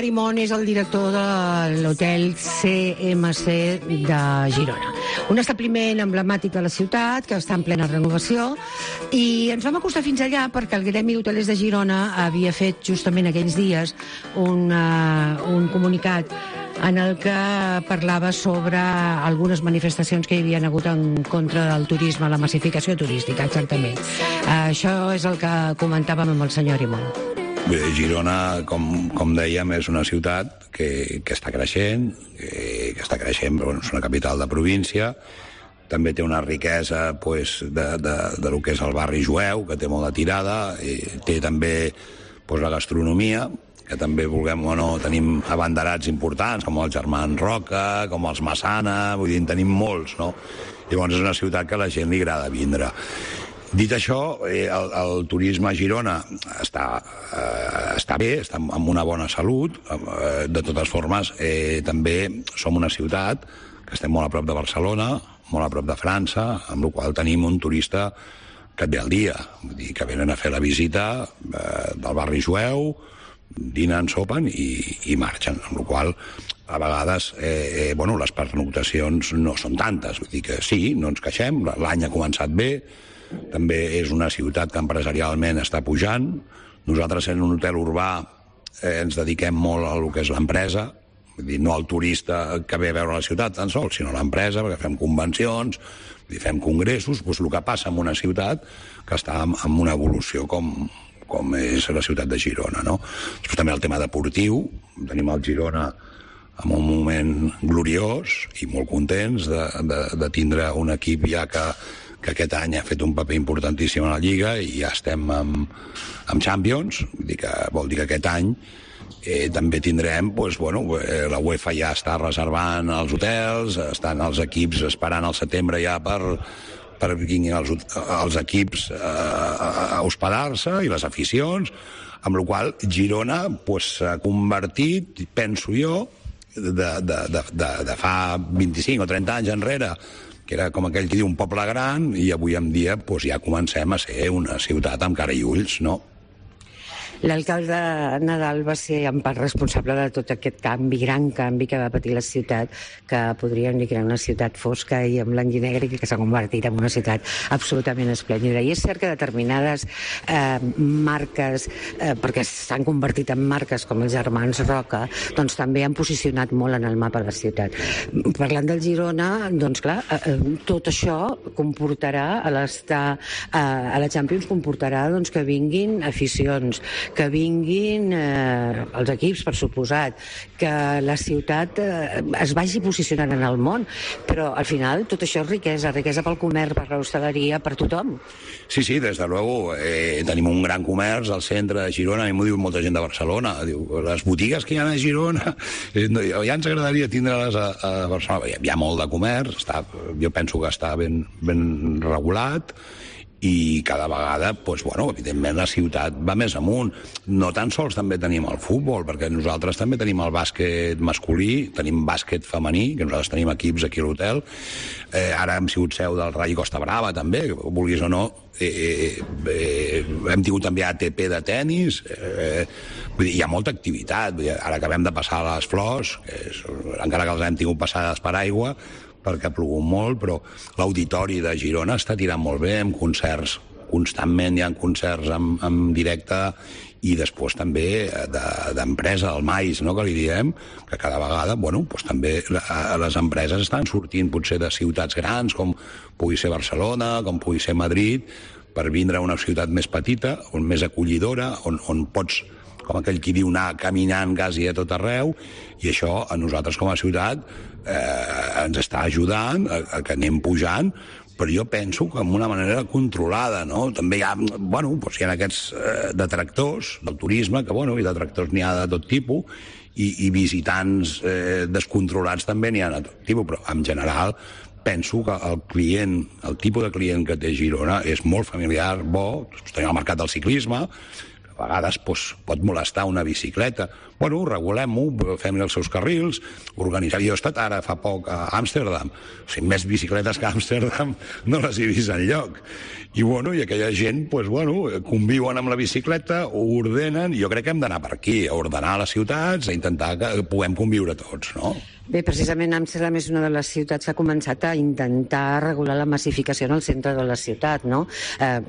senyor Arimon és el director de l'hotel CMC de Girona. Un establiment emblemàtic de la ciutat que està en plena renovació, i ens vam acostar fins allà perquè el Gremi d'Hotelers de Girona havia fet justament aquells dies un comunicat en el que parlava sobre algunes manifestacions que hi havia hagut en contra del turisme, la massificació turística, exactament. Això és el que comentàvem amb el senyor Arimon. Bé, Girona, com dèiem, és una ciutat que està creixent, però és una capital de província. També té una riquesa de lo que és el barri jueu, que té molta tirada, i té també la gastronomia, que també, vulguem o no, tenim abanderats importants, com els Germans Roca, com els Massana, vull dir, en tenim molts, no? Llavors és una ciutat que a la gent li agrada vindre. Dit això, el turisme a Girona està bé, està amb una bona salut. De totes formes, també som una ciutat que estem molt a prop de Barcelona, molt a prop de França, amb la qual tenim un turista que et ve al dia. Vull dir, que venen a fer la visita del barri jueu, dinen, sopen i marxen, amb la qual a vegades les pernoctacions no són tantes. Vull dir que sí, no ens queixem, l'any ha començat bé. També és una ciutat que empresarialment està pujant. Nosaltres, en un hotel urbà, ens dediquem molt a lo que és l'empresa, vull dir, no al turista que ve a veure la ciutat tan sols, sinó a l'empresa, perquè fem convencions, fem congressos. El que passa en una ciutat que està en una evolució com és la ciutat de Girona, no? Després també el tema deportiu. Tenim el Girona en un moment gloriós i molt contents de tindre un equip ja que aquest any ha fet un paper importantíssim a la Lliga i ja estem amb Champions. Vol dir que aquest any també tindrem, la UEFA ja està reservant els hotels, estan els equips esperant al setembre ja per vinguin els equips a hospedar-se i les aficions, amb la qual Girona s'ha convertit, penso jo, de fa 25 o 30 anys enrere, que era com aquell que diu un poble gran, i avui en dia ja comencem a ser una ciutat amb cara i ulls, no? L'alcalde Nadal va ser en part responsable de tot aquest canvi, gran canvi que va patir la ciutat, que podríem dir que era una ciutat fosca i en blanc i negre, i que s'ha convertit en una ciutat absolutament esplèndida. I és cert que determinades marques, perquè s'han convertit en marques com els Germans Roca, doncs també han posicionat molt en el mapa de la ciutat. Parlant del Girona, doncs clar, tot això comportarà, a la Champions, comportarà que vinguin aficions, que vinguin els equips, per suposat, que la ciutat es vagi posicionant en el món, però al final tot això és riquesa pel comerç, per l'hostaleria, per tothom. Sí, des de luego, tenim un gran comerç al centre de Girona, a mi m'ho diu molta gent de Barcelona, diu, les botigues que hi ha a Girona, ja ens agradaria tindre-les a Barcelona. Hi ha molt de comerç, jo penso que està ben regulat, i cada vegada, evidentment, la ciutat va més amunt. No tan sols també tenim el futbol, perquè nosaltres també tenim el bàsquet masculí, tenim bàsquet femení, que nosaltres tenim equips aquí a l'hotel. Ara hem sigut seu del Rayo Costa Brava, també, vulguis o no. Hem tingut també ATP de tennis. Hi ha molta activitat. Ara acabem de passar les flors, encara que les hem tingut passades per aigua, perquè ha plogut molt, però l'auditori de Girona està tirant molt bé, amb concerts, constantment hi ha concerts en directe, i després també d'empresa, el MAIS, no?, que li diem, que cada vegada, també les empreses estan sortint potser de ciutats grans, com pugui ser Barcelona, com pugui ser Madrid, per vindre a una ciutat més petita, més acollidora, on pots, com aquell qui diu, anar caminant quasi a tot arreu, i això a nosaltres com a ciutat ens està ajudant a que anem pujant, però jo penso que amb una manera controlada, no? També hi ha, hi ha aquests detractors del turisme, que, i detractors n'hi ha de tot tipus, i visitants descontrolats també n'hi ha de tot tipus, però en general penso que el tipus de client que té Girona és molt familiar, bo. Tenim el mercat del ciclisme, a vegades pot molestar una bicicleta. Bueno, regulem-ho, fem-li els seus carrils, organitzem. Jo he estat ara fa poc a Amsterdam. O sigui, més bicicletes que a Amsterdam no les he vist enlloc. I aquella gent, conviuen amb la bicicleta, ho ordenen, i jo crec que hem d'anar per aquí, a ordenar les ciutats, a intentar que puguem conviure tots, no? Bé, precisament Amsterdam és una de les ciutats que ha començat a intentar regular la massificació en el centre de la ciutat, no?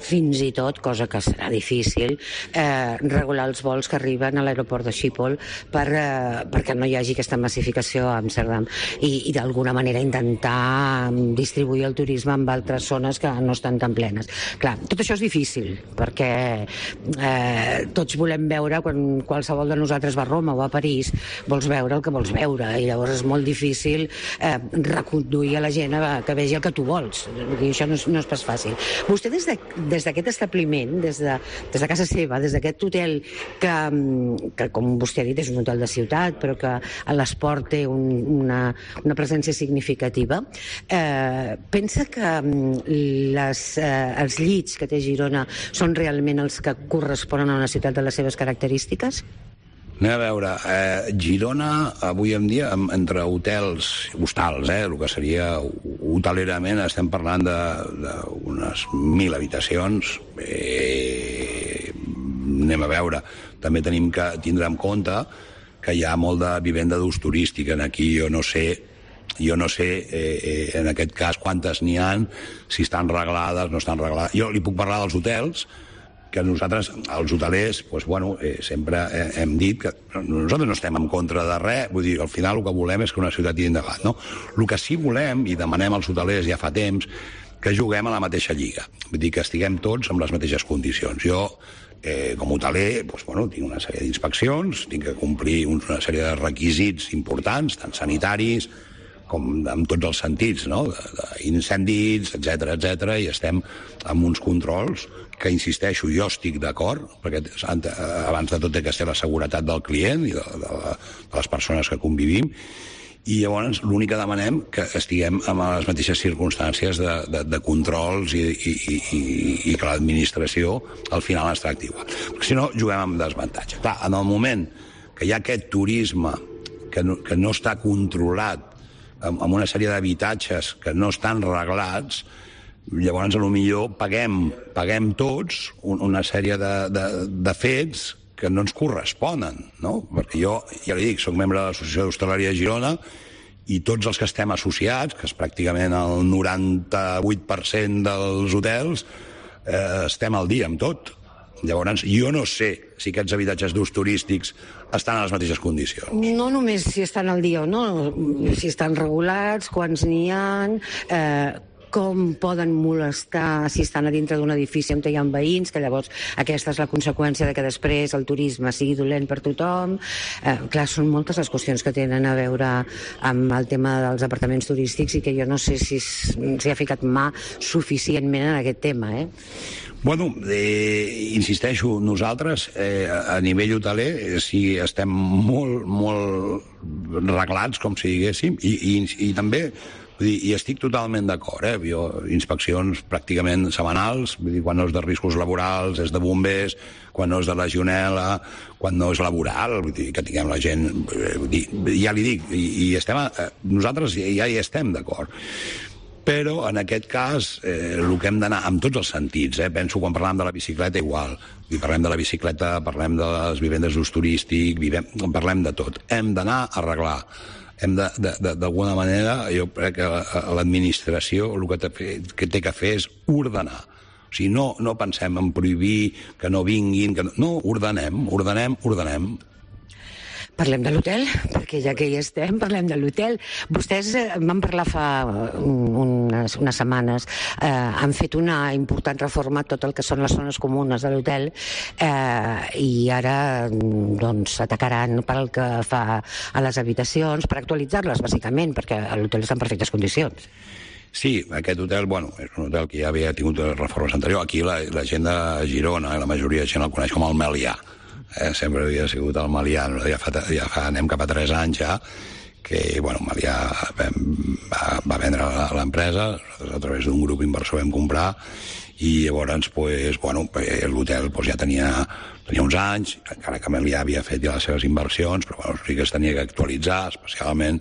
Fins i tot, cosa que serà difícil, regular els vols que arriben a l'aeroport de Schiphol perquè no hi hagi aquesta massificació a Amsterdam i d'alguna manera intentar distribuir el turisme en altres zones que no estan tan plenes. Clar, tot això és difícil perquè tots volem veure, quan qualsevol de nosaltres va a Roma o a París, vols veure el que vols veure, i llavors és molt difícil reconduir a la gent que vegi el que tu vols. I això no és pas fàcil. Vostè des d'aquest establiment, des de casa seva, des d'aquest hotel que com vostè ha dit és un hotel de ciutat però que a l'esport té una presència significativa, pensa que els llits que té Girona són realment els que corresponen a una ciutat de les seves característiques? Anem a veure, Girona avui en dia, entre hostals, el que seria hotelerament, estem parlant d'unes 1.000 habitacions. Anem a veure, també tenim que tindre en compte que hi ha molt de vivenda d'ús turístic. Aquí jo no sé en aquest cas quantes n'hi ha, si estan reglades, no estan reglades. Jo li puc parlar dels hotels, que nosaltres, els hotelers, sempre hem dit que nosaltres no estem en contra de res, vull dir, al final el que volem és que una ciutat tiri endavant, no? El que sí volem, i demanem als hotelers ja fa temps, que juguem a la mateixa lliga, vull dir, que estiguem tots en les mateixes condicions. Jo, com a hoteler, tinc una sèrie d'inspeccions, tinc que complir una sèrie de requisits importants, tant sanitaris com en tots els sentits, no? Incendis, etc, i estem amb uns controls que, insisteixo, jo estic d'acord, perquè abans de tot ha de ser la seguretat del client i de les persones que convivim, i llavors l'únic que demanem que estiguem en les mateixes circumstàncies de controls i que l'administració al final es tracti igual. Perquè si no, juguem amb desavantatge. Clar, en el moment que hi ha aquest turisme que no està controlat, amb una sèrie d'habitatges que no estan reglats, llavors potser paguem tots una sèrie de fets que no ens corresponen, no? Perquè jo, ja li dic, soc membre de l'Associació d'Hostaleria de Girona i tots els que estem associats, que és pràcticament el 98% dels hotels, estem al dia amb tot. Llavors, jo no sé si aquests habitatges d'ús turístics estan en les mateixes condicions. No només si estan al dia o no, si estan regulats, quants n'hi ha, com poden molestar si estan a dintre d'un edifici on hi ha veïns, que llavors aquesta és la conseqüència de que després el turisme sigui dolent per tothom. Clar, són moltes les qüestions que tenen a veure amb el tema dels apartaments turístics i que jo no sé si s'hi ha ficat mà suficientment en aquest tema, insisteixo, nosaltres a nivell hoteler sí estem molt reglats, com si diguéssim, i també i estic totalment d'acord, jo inspeccions pràcticament setmanals, vull dir, quan no és de riscos laborals, és de bombers, quan no és de legionel·la, quan no és laboral, vull dir, que tinguem la gent, ja li dic, i nosaltres ja hi estem d'acord. Però, en aquest cas, el que hem d'anar, en tots els sentits, penso quan parlem de la bicicleta igual, parlem de la bicicleta, parlem de les vivendes d'ús turístic, parlem de tot. Hem d'anar a arreglar. Hem d'alguna manera, jo crec que l'administració el que té que fer és ordenar. O sigui, no pensem en prohibir, que no vinguin, no, ordenem. Parlem de l'hotel, perquè ja que hi estem, parlem de l'hotel. Vostès van parlar fa unes setmanes, han fet una important reforma a tot el que són les zones comunes de l'hotel i ara atacaran pel que fa a les habitacions, per actualitzar-les, bàsicament, perquè l'hotel està en perfectes condicions. Sí, aquest hotel, és un hotel que ja havia tingut reformes anteriors. Aquí la gent de Girona, la majoria de gent el coneix com el Melià. Sempre havia sigut el Melià, anem cap a 3 anys ja, que Melià va vendre l'empresa, a través d'un grup inversor vam comprar, i llavors l'hotel ja tenia uns anys, encara que Melià havia fet ja les seves inversions, però sí que es tenia que actualitzar, especialment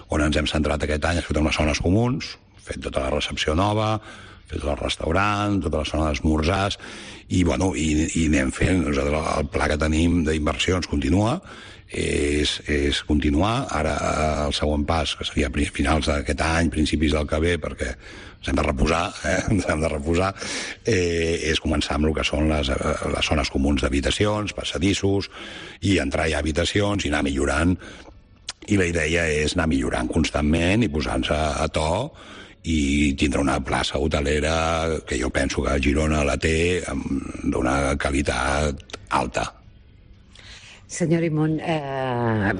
on ens hem centrat aquest any, ha fet unes zones comuns, fet tota la recepció nova, fet tot el restaurant, tota la zona d'esmorzars, i anem fent. Nosaltres el pla que tenim d'inversions continua, és continuar. Ara el següent pas, que seria a finals d'aquest any, principis del que ve, perquè ens hem de reposar, és començar amb el que són les zones comuns d'habitacions, passadissos, i entrar ja a habitacions i anar millorant. I la idea és anar millorant constantment i posar-nos a to i tindre una plaça hotelera que jo penso que a Girona la té d'una qualitat alta. Senyor Imón, la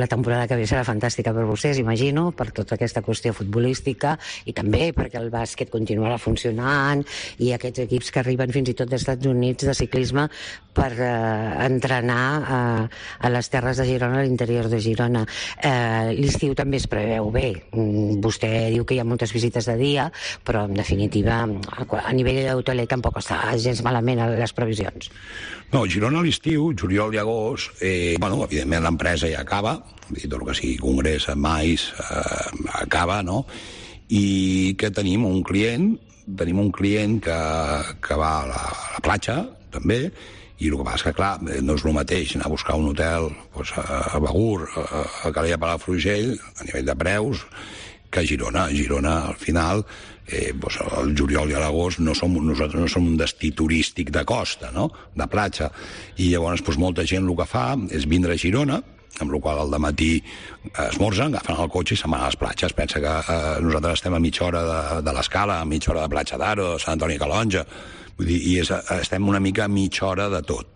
temporada que ve serà fantàstica per vostès, imagino, per tota aquesta qüestió futbolística i també perquè el bàsquet continuarà funcionant i aquests equips que arriben fins i tot dels Estats Units de ciclisme per entrenar a les terres de Girona, a l'interior de Girona. L'estiu també es preveu bé. Vostè diu que hi ha moltes visites de dia, però en definitiva a nivell hoteler tampoc està gens malament les previsions. No, Girona a l'estiu, juliol i agost, evidentment l'empresa ja acaba, tot el que sigui congrés, mais, acaba, no? I que tenim un client que va a la platja, també, i el que passa és que, clar, no és el mateix anar a buscar un hotel a Begur, a Calella Palafrugell, a nivell de preus, que a Girona. A Girona, al final, el juliol i l'agost nosaltres no som un destí turístic de costa, no?, de platja, i llavors molta gent el que fa és vindre a Girona, amb la qual al dematí esmorzen, agafen el cotxe i se'n van a les platges. Pensa que nosaltres estem a mitja hora de l'Escala, a mitja hora de Platja d'Aro, de Sant Antoni Calonja, vull dir, i estem una mica a mitja hora de tot.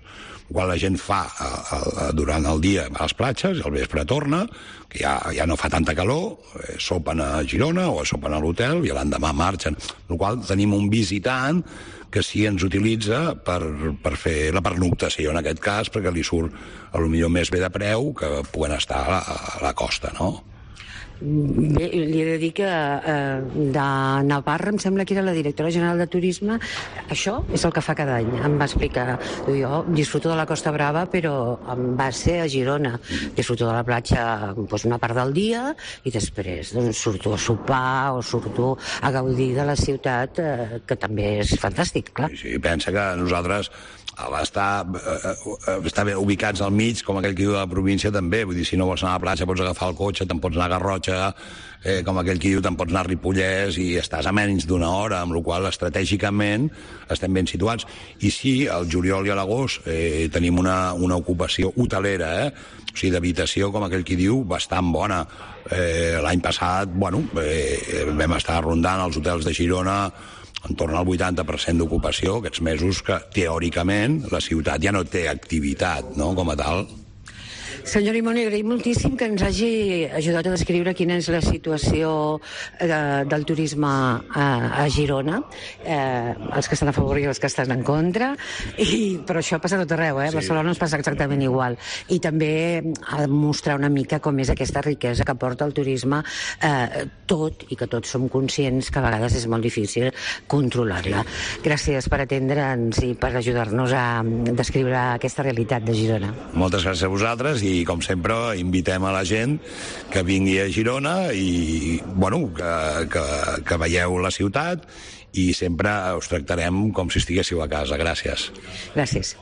Quan la gent fa durant el dia a les platges i al vespre torna, que ja no fa tanta calor, sopen a Girona o sopen a l'hotel i l'endemà marxen. El qual tenim un visitant que sí ens utilitza per fer la pernoctació, en aquest cas, perquè li surt potser més bé de preu que puguen estar a la costa, no? Bé, li he de dir que de Navarra, em sembla que era la directora general de Turisme, això és el que fa cada any. Em va explicar, jo disfruto de la Costa Brava, però em va ser a Girona. Disfruto de la platja una part del dia i després surto a sopar o surto a gaudir de la ciutat, que també és fantàstic, clar. Sí, pensa que nosaltres estar ubicats al mig, com aquell que diu de la província, també. Vull dir, si no vols anar a la platja pots agafar el cotxe, te'n pots anar a Garrotxa, com aquell que diu, te'n pots anar a Ripollès, i estàs a menys d'una hora, amb la qual cosa estratègicament estem ben situats. I sí, al juliol i a l'agost tenim una ocupació hotelera, o sigui, d'habitació, com aquell que diu, bastant bona. L'any passat, vam estar rondant els hotels de Girona en torn al 80% d'ocupació, aquests mesos que, teòricament, la ciutat ja no té activitat, no?, com a tal. Senyor Imón, li agraïm moltíssim que ens hagi ajudat a descriure quina és la situació del turisme a Girona, els que estan a favor i els que estan en contra, però això passa a tot arreu, a Barcelona ens passa exactament igual. I també a mostrar una mica com és aquesta riquesa que porta el turisme, tot, i que tots som conscients que a vegades és molt difícil controlar-la. Gràcies per atendre'ns i per ajudar-nos a descriure aquesta realitat de Girona. Moltes gràcies a vosaltres i, com sempre, invitem a la gent que vingui a Girona i, que veieu la ciutat i sempre us tractarem com si estiguéssiu a casa. Gràcies. Gràcies.